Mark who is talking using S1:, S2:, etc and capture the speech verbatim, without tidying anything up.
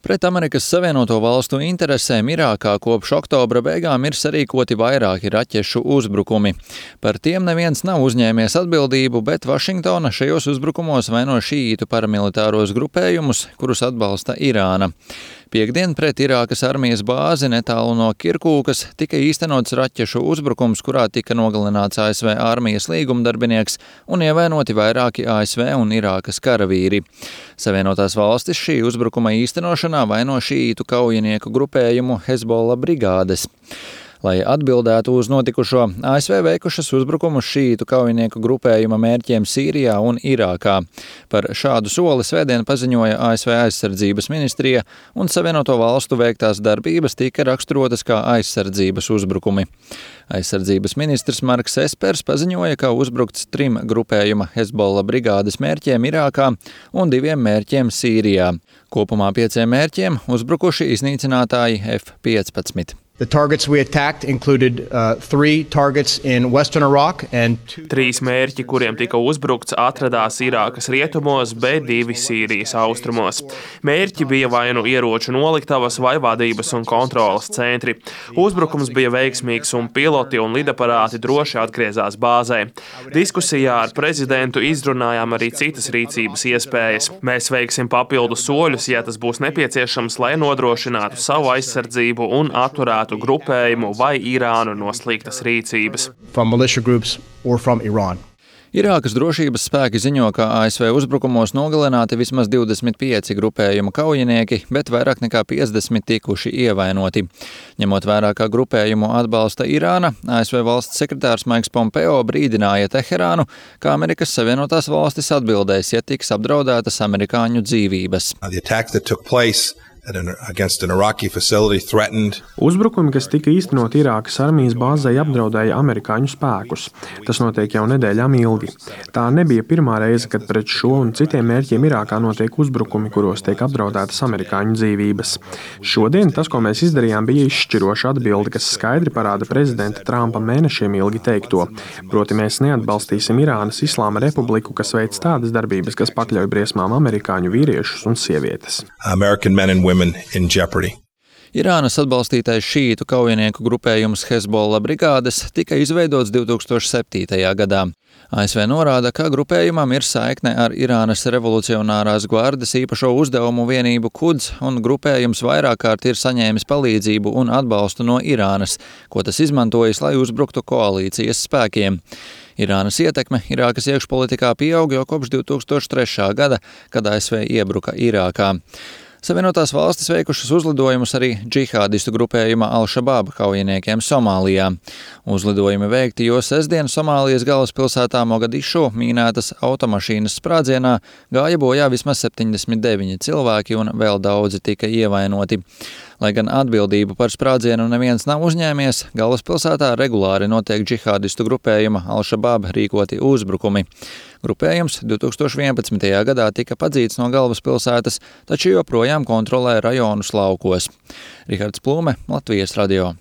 S1: Pret Amerikas Savienoto Valstu interesēm Irākā kopš oktobra beigām ir sarīkoti vairāki raķešu uzbrukumi. Par tiem neviens nav uzņēmies atbildību, bet Vašingtona šajos uzbrukumos vaino šīītu paramilitāros grupējumus, kurus atbalsta Irāna. Piektdien pret Irākas armijas bāzi netālu no Kirkūkas tika īstenots raķešu uzbrukums, kurā tika nogalināts A S V armijas līgumdarbinieks un ievainoti vairāki A S V un Irākas karavīri. Savienotās valstis šī uzbrukuma īstenošanā vaino šīītu kaujinieku grupējumu Hezbollah brigādes. Lai atbildētu uz notikušo, A S V veikušas uzbrukumus šīītu kaujinieku grupējuma mērķiem Sīrijā un Irākā. Par šādu soli svētdien paziņoja A S V aizsardzības ministrija, un Savienoto valstu veiktās darbības tika raksturotas kā aizsardzības uzbrukumi. Aizsardzības ministrs Marks Espers paziņoja, ka uzbrukts trim grupējuma Hezbollah brigādes mērķiem Irākā un diviem mērķiem Sīrijā. Kopumā pieciem mērķiem uzbrukuši iznīcinātāji F piecpadsmit.
S2: The targets we attacked included uh, three targets in western Iraq and two...
S3: Trīs mērķi, kuriem tika uzbrukts, atradās Irākas rietumos, bet divi Sīrijas austrumos. Mērķi bija vai nu ieroču noliktavas vai vadības un kontrolas centri. Uzbrukums bija veiksmīgs un piloti un lidaparāti droši atgriezās bāzē. Diskusijā ar prezidentu izrunājām arī citas rīcības iespējas. Mēs veiksim papildu soļus, ja tas būs nepieciešams, lai nodrošinātu savu aizsardzību un atturētu grupējumu vai Irānu no sliktas rīcības.
S1: Irākas drošības spēki ziņo, ka A S V uzbrukumos nogalināti vismaz divdesmit pieci grupējuma kaujinieki, bet vairāk nekā piecdesmit tikuši ievainoti. Ņemot vērā, ka grupējumu atbalsta Irāna, A S V valsts sekretārs Maiks Pompeo brīdināja Teherānu, ka Amerikas Savienotās valstis atbildēs, ja tiks apdraudētas amerikāņu dzīvības.
S4: Uzbrukumi, kas tika īstenot Irākas armijas bāzei, apdraudēja amerikāņu spēkus. Tas notiek jau nedēļām ilgi. Tā nebija pirmā reize, kad pret šo un citiem mērķiem Irākā notiek uzbrukumi, kuros tiek apdraudētas amerikāņu dzīvības. Šodien tas, ko mēs izdarījām, bija izšķiroša atbilde, kas skaidri parāda prezidenta Trumpa mēnešiem ilgi teikto. Proti mēs neatbalstīsim Irānas Islāma republiku, kas veic tādas darbības, kas pakļauj briesmām amerikāņu vīriešus un sievietes.
S1: Irānas atbalstītais šīītu kaujinieku grupējums Hezbollah brigādes tika izveidots divi tūkstoši septītajā gadā. A S V norāda, ka grupējumam ir saikne ar Irānas revolucionārās gvardes īpašo uzdevumu vienību Quds, un grupējums vairāk kārt ir saņēmis palīdzību un atbalstu no Irānas, ko tas izmantojis, lai uzbruktu koalīcijas spēkiem. Irānas ietekme Irākas iekšpolitikā pieaug jau kopš divi tūkstoši trešā gada, kad A S V iebruka Irākā. Savienotās valstis veikušas uzlidojumus arī džihādistu grupējuma Al-Shabaab kaujiniekiem Somālijā. Uzlidojumi veikti, jo sestdien Somālijas galvaspilsētā Mogadišu mīnētas automašīnas sprādzienā gāja bojā vismaz septiņdesmit deviņi cilvēki un vēl daudzi tika ievainoti. Lai gan atbildību par sprādzienu neviens nav uzņēmies, galvaspilsētā regulāri notiek džihādistu grupējuma Al-Shabaab rīkoti uzbrukumi. Grupējums divi tūkstoši vienpadsmitajā gadā tika padzīts no galvaspilsētas, taču joprojām kontrolē rajonus laukos. Rihards Plūme, Latvijas radio.